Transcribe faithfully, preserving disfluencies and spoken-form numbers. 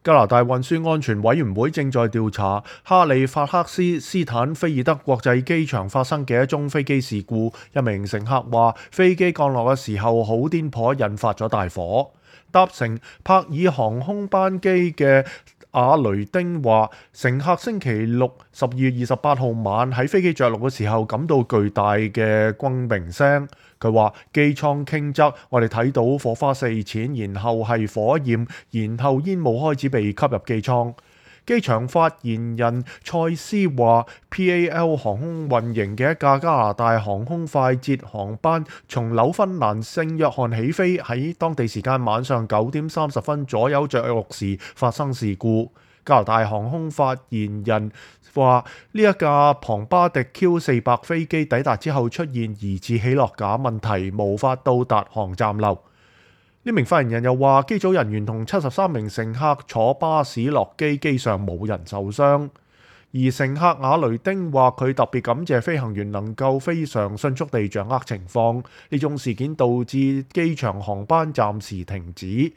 加拿大運輸安全委員會正在調查哈利法克斯斯坦菲爾德國際機場發生嘅一宗飛機事故。一名乘客話，飛機降落嘅時候好顛簸，引發咗大火。搭乘柏爾航空班機嘅阿雷丁話，乘客星期六十二月二十八號晚喺飛機着陸嘅時候感到巨大嘅轟鳴聲。佢話機艙傾側，我哋睇到火花四濺，然後係火焰，然後煙霧開始被吸入機艙。機場發言人賽斯話 ，P A L 航空運營嘅一架加拿大航空快捷航班從紐芬蘭聖約翰起飛，喺當地時間晚上九點三十分左右着陸時發生事故。加拿大航空發言人話：呢一架龐巴迪 Q 四百飛機抵達之後出現疑似起落架問題，無法到達航站樓。呢名發言人又話，機組人員同七十三名乘客坐巴士落機，機上冇人受傷。而乘客瓦雷丁話，佢特別感謝飛行員能夠非常迅速地掌握情況。呢種事件導致機場航班暫時停止。